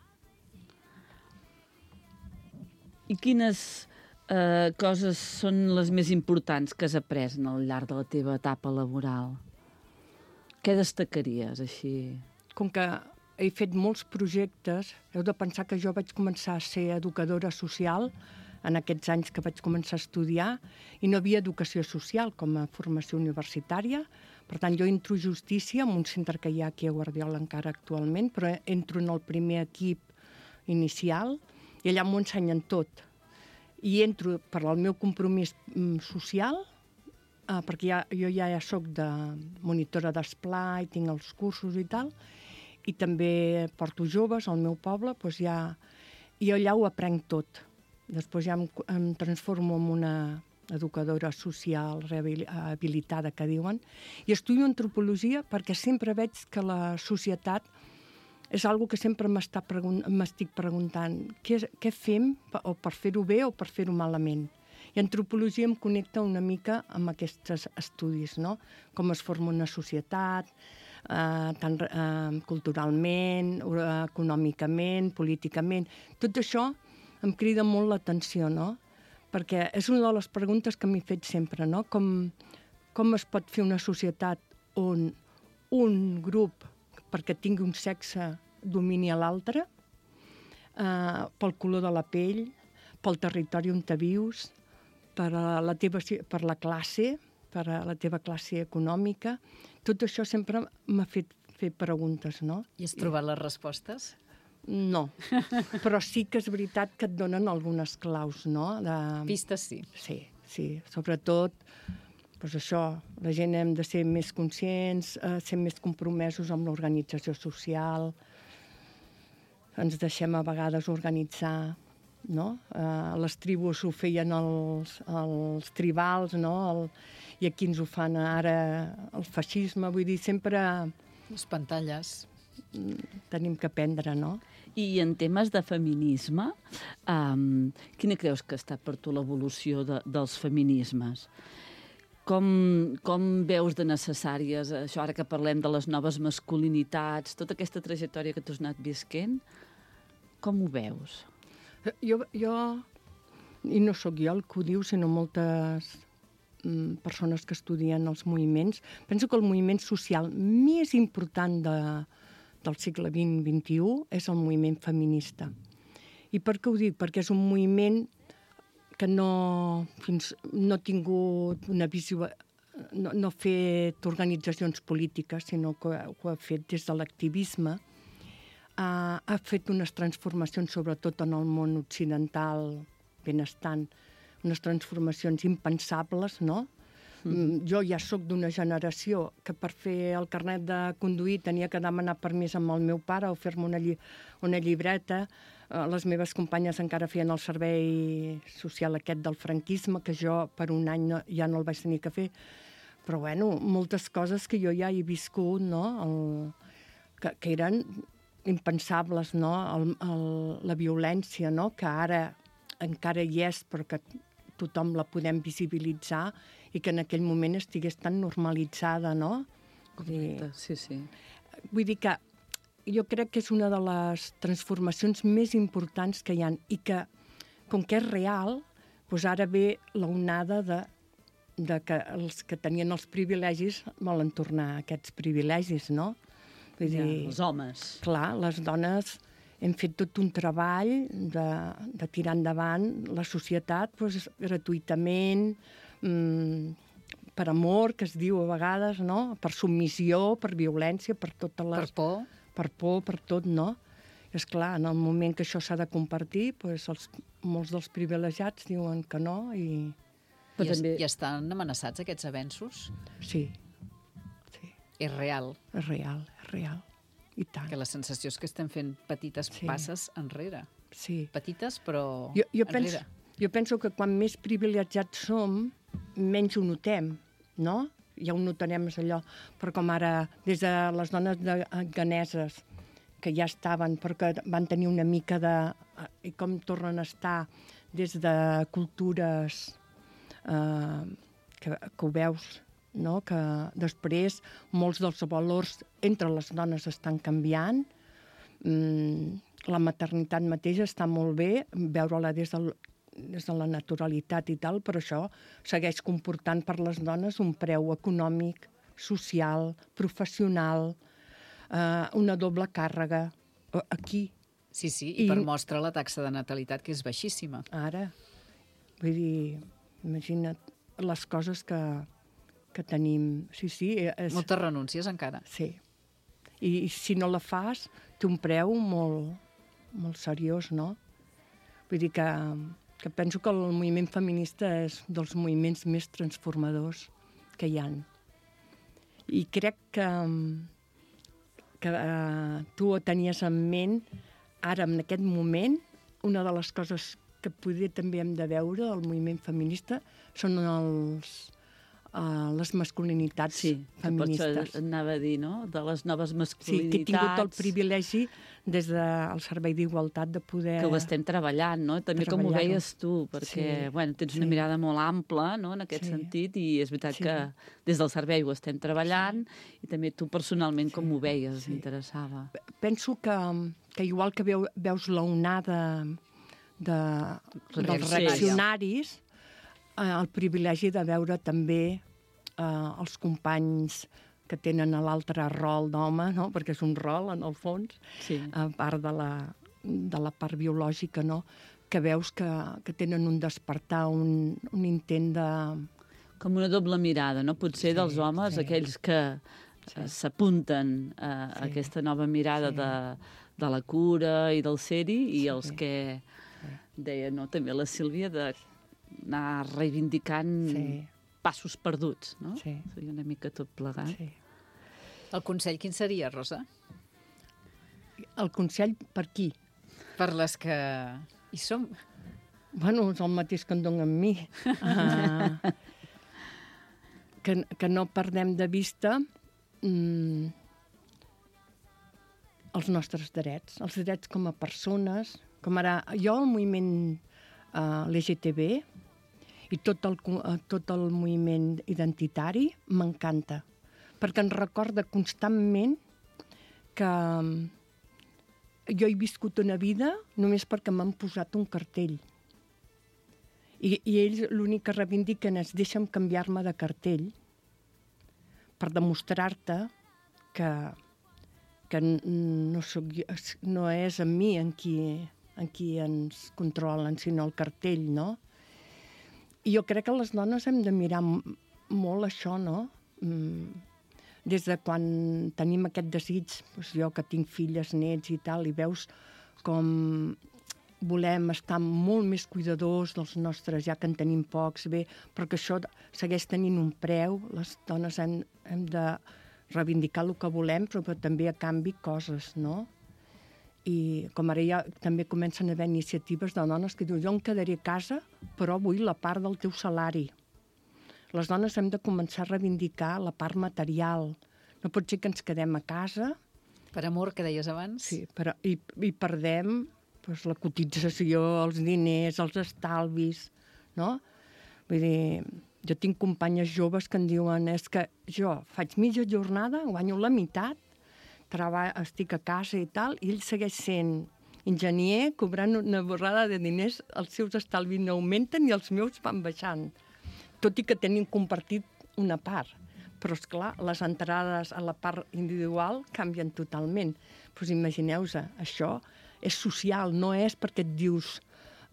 I quines coses són les més importants que has après al llarg de la teva etapa laboral? Què destacaries, així? Com que he fet molts projectes, heu de pensar que jo vaig començar a ser educadora social en aquests anys que vaig començar a estudiar i no havia educació social com a formació universitària. Per tant, jo entro a Justícia, en un centre que hi ha aquí a Guardiola encara actualment, però entro en el primer equip inicial i allà m'ho ensenyen tot. I entro per al meu compromís social, perquè jo ja soc de monitora d'esplai, tinc els cursos i tal, i també porto joves al meu poble, doncs i allà ho aprenc tot. Després ja em transformo en una educadora social rehabilitada, que diuen, i estudio antropologia perquè sempre veig que la societat és una que sempre m'estic preguntant què fem o per fer-ho bé o per fer-ho malament. I antropologia em connecta una mica amb aquests estudis, no? Com es forma una societat, tant culturalment, econòmicament, políticament. Tot això em crida molt l'atenció, no? Perquè és una de les preguntes que m'he fet sempre, no? Com es pot fer una societat on un grup, perquè tingui un sexe, domini a l'altre, pel color de la pell, pel territori on te vius, per la classe, per a la teva classe econòmica. Tot això sempre m'ha fet fer preguntes, no? I has trobat les respostes? No, però sí que és veritat que et donen algunes claus, no? Pistes sí. Sí, sobretot, doncs això, la gent hem de ser més conscients, ser més compromesos amb l'organització social, ens deixem a vegades organitzar, no? Les tribus ho feien els tribals, no? I aquí ens ho fan ara el feixisme, vull dir, sempre... Les pantalles. Tenim que aprendre, no? I en temes de feminisme, quina creus que ha estat per tu l'evolució dels feminismes? Com veus de necessàries això, ara que parlem de les noves masculinitats, tota aquesta trajectòria que tu has anat visquent, com ho veus? Jo, i no sóc jo el que ho diu, sinó moltes persones que estudien els moviments, penso que el moviment social més important del segle XX-XXI és el moviment feminista. I per què ho dic? Perquè és un moviment que no ha tingut una visió, no ha fet organitzacions polítiques, sinó que ho ha fet des de l'activisme. Ha fet unes transformacions, sobretot en el món occidental benestant, unes transformacions impensables, no? Jo ja sóc d'una generació que per fer el carnet de conduir tenia que demanar permís amb el meu pare o fer-me una llibreta. Les meves companyes encara feien el servei social aquest del franquisme, que jo per un any ja no el vaig tenir que fer. Però, bueno, moltes coses que jo ja he viscut, no? Que eren impensables, no? La violència, no? Que ara encara hi és, però que tothom la podem visibilitzar i que en aquell moment estigués tan normalitzada, no? Correcte, sí. Vull dir que jo crec que és una de les transformacions més importants que hi ha i que, com que és real, doncs ara ve l'onada de que els que tenien els privilegis volen tornar a aquests privilegis, no? Vull dir, els homes. Clar, les dones hem fet tot un treball de tirar endavant la societat doncs, gratuïtament, per amor, que es diu a vegades, no? Per submissió, per violència, per totes les... Per por. Per por, per tot, no? És clar, en el moment que això s'ha de compartir, doncs molts dels privilegiats diuen que no i... I estan amenaçats aquests avenços? Sí. És real. És real. I tant. Que la sensació és que estem fent petites passes enrere. Sí. Petites, però enrere. Jo penso que quan més privilegiats som, menys ho notem, no? Ja ho notarem allò. Però com ara, des de les dones ganeses, que ja estaven, però que van tenir una mica de... I com tornen a estar des de cultures que ho veus, no? Que després molts dels valors entre les dones estan canviant. La maternitat mateixa està molt bé, veure-la des del des de la naturalitat i tal, però això segueix comportant per les dones un preu econòmic, social, professional, una doble càrrega aquí. Sí, i per mostra la taxa de natalitat, que és baixíssima. Ara, vull dir, imagina't les coses que tenim. Sí. Moltes renúncies encara. Sí. I si no la fas, té un preu molt, molt seriós, no? Vull dir que penso que el moviment feminista és dels moviments més transformadors que hi ha. I crec que tu ho tenies en ment. Ara, en aquest moment, una de les coses que potser també hem de veure del moviment feminista són les masculinitats feministes. Sí, potser anava a dir, no?, de les noves masculinitats. Sí, que he tingut el privilegi des del Servei d'Igualtat de poder... Que ho estem treballant, no? També com ho veies tu, perquè tens una mirada molt ampla, no?, en aquest sentit, i és veritat que des del servei ho estem treballant, i també tu personalment com ho veies, m'interessava. Penso que igual que veus l'onada dels reaccionaris, el privilegi de veure també els companys que tenen l'altre rol d'home, no? Perquè és un rol, en el fons, a part de la part biològica, no? Que veus que tenen un despertar, un intent de... Com una doble mirada, no? Potser dels homes, aquells que s'apunten a aquesta nova mirada de la cura i del ser-hi, i els que deia, no, també la Sílvia, d'anar reivindicant passos perduts, no? Seria una mica tot plegat. Sí. El consell quin seria, Rosa? El consell per qui? Per les que hi som. Bueno, és el mateix que en donen amb mi. Que no perdem de vista els nostres drets, els drets com a persones, com ara jo, el moviment LGTB i tot el moviment identitari m'encanta, perquè ens recorda constantment que jo he viscut una vida només perquè m'han posat un cartell. I ells l'únic que reivindiquen és deixa'm canviar-me de cartell per demostrar-te que no és en mi en qui ens controlen, sinó el cartell, no? I jo crec que les dones hem de mirar molt això, no? Des de quan tenim aquest desig, doncs jo que tinc filles, nets i tal, i veus com volem estar molt més cuidadors dels nostres, ja que en tenim pocs, bé, però que això segueix tenint un preu. Les dones hem de reivindicar el que volem, però també a canvi coses, no? I com ara ja també comencen a haver iniciatives de dones que diuen jo em quedaré a casa, però vull la part del teu salari. Les dones hem de començar a reivindicar la part material. No pot ser que ens quedem a casa... Per amor, que deies abans. Sí, i perdem doncs, la cotització, els diners, els estalvis, no? Vull dir, jo tinc companyes joves que em diuen és que jo faig mitja jornada, guanyo la meitat, estic a casa i tal, i ell segueix sent enginyer, cobrant una borrada de diners, els seus estalvis no augmenten i els meus van baixant. Tot i que tenim compartit una part. Però, esclar, les entrades a la part individual canvien totalment. Doncs imagineu-vos, això és social, no és perquè et dius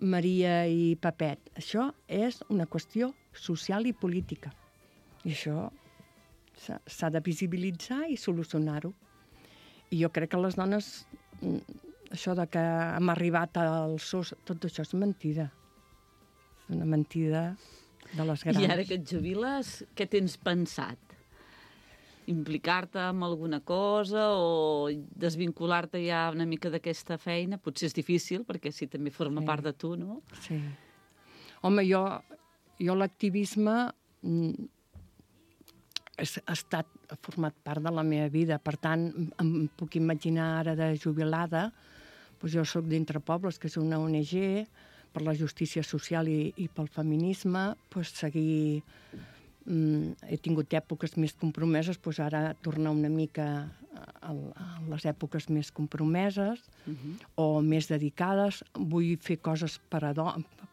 Maria i Pepet. Això és una qüestió social i política. I això s'ha de visibilitzar i solucionar-ho. I jo crec que les dones, això de que hem arribat al SOS, tot això és mentida. És una mentida de les grans. I ara que et jubiles, què tens pensat? Implicar-te en alguna cosa o desvincular-te ja una mica d'aquesta feina? Potser és difícil, perquè sí, també forma part de tu, no? Sí. Home, jo l'activisme ha format part de la meva vida. Per tant, em puc imaginar ara de jubilada. Doncs jo soc d'Entre Pobles, que és una ONG per la justícia social i pel feminisme. Doncs seguir... he tingut èpoques més compromeses, doncs ara tornar una mica a les èpoques més compromeses o més dedicades. Vull fer coses per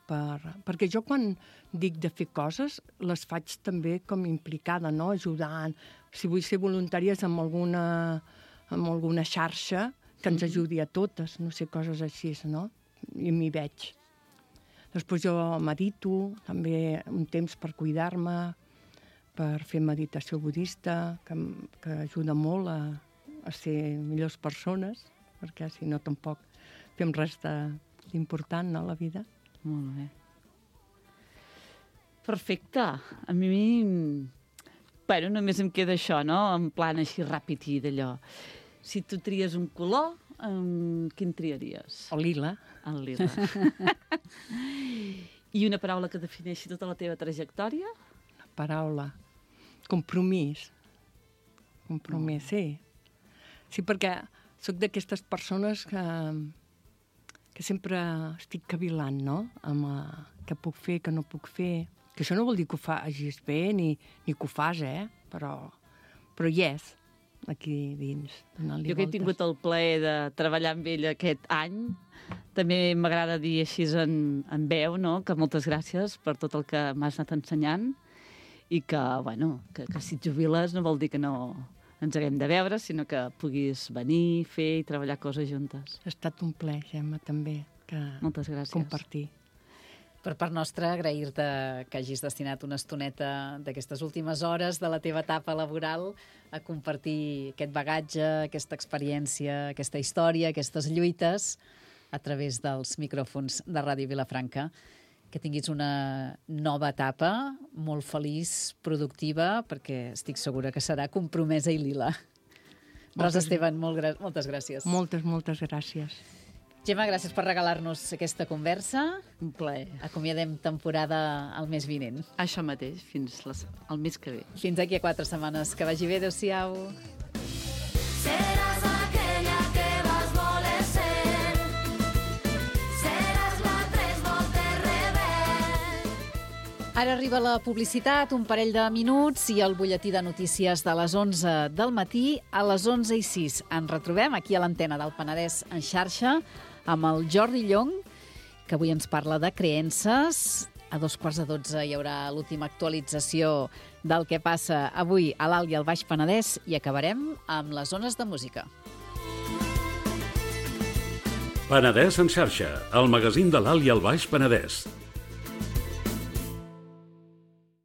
perquè jo quan dic de fer coses les faig també com implicada, no? Ajudant. Si vull ser voluntàries amb alguna xarxa que ens ajudi a totes, no sé, coses així, no? I m'hi veig. Després jo medito, també un temps per cuidar-me, per fer meditació budista, que ajuda molt a ser millors persones, perquè si no tampoc fem res d'important, no, a la vida. Molt bé. Perfecte. A mi... Bueno, només em queda això, no? En plan així ràpid i d'allò. Si tu tries un color, quin triaries? El lila. El lila. I una paraula que defineixi tota la teva trajectòria? Una paraula. Compromís. Compromís, sí. Sí, perquè sóc d'aquestes persones que sempre estic cavilant, no? Amb què puc fer, què no puc fer. Que això no vol dir que ho facis bé ni que ho fas, però hi és, aquí dins. Jo que he tingut el plaer de treballar amb ell aquest any, també m'agrada dir així en veu, no? Que moltes gràcies per tot el que m'has anat ensenyant i que, bueno, que si et jubiles no vol dir que no ens haguem de veure, sinó que puguis venir, fer i treballar coses juntes. Ha estat un plaer, Gemma, també, moltes gràcies. Compartir. Per part nostra, agrair-te que hagis destinat una estoneta d'aquestes últimes hores de la teva etapa laboral a compartir aquest bagatge, aquesta experiència, aquesta història, aquestes lluites a través dels micròfons de Ràdio Vilafranca. Que tinguis una nova etapa, molt feliç, productiva, perquè estic segura que serà compromesa i lila. Rosa Esteban, moltes gràcies. Moltes gràcies. Gemma, gràcies per regalar-nos aquesta conversa. Un plaer. Acomiadem temporada el mes vinent. Això mateix, fins al mes que ve. Fins aquí a 4 setmanes. Que vagi bé, adéu-siau. Seràs aquella que vas voler ser. Seràs la tres voltes rebel. Ara arriba la publicitat, un parell de minuts i el butlletí de notícies de les 11 del matí a les 11:06. Ens retrobem aquí a l'antena del Penedès en xarxa amb el Jordi Llong, que avui ens parla de creences. A 11:45 hi haurà l'última actualització del que passa avui a l'Alt i al Baix Penedès i acabarem amb les zones de música. Penedès en xarxa, el magazín de l'Alt i el Baix Penedès.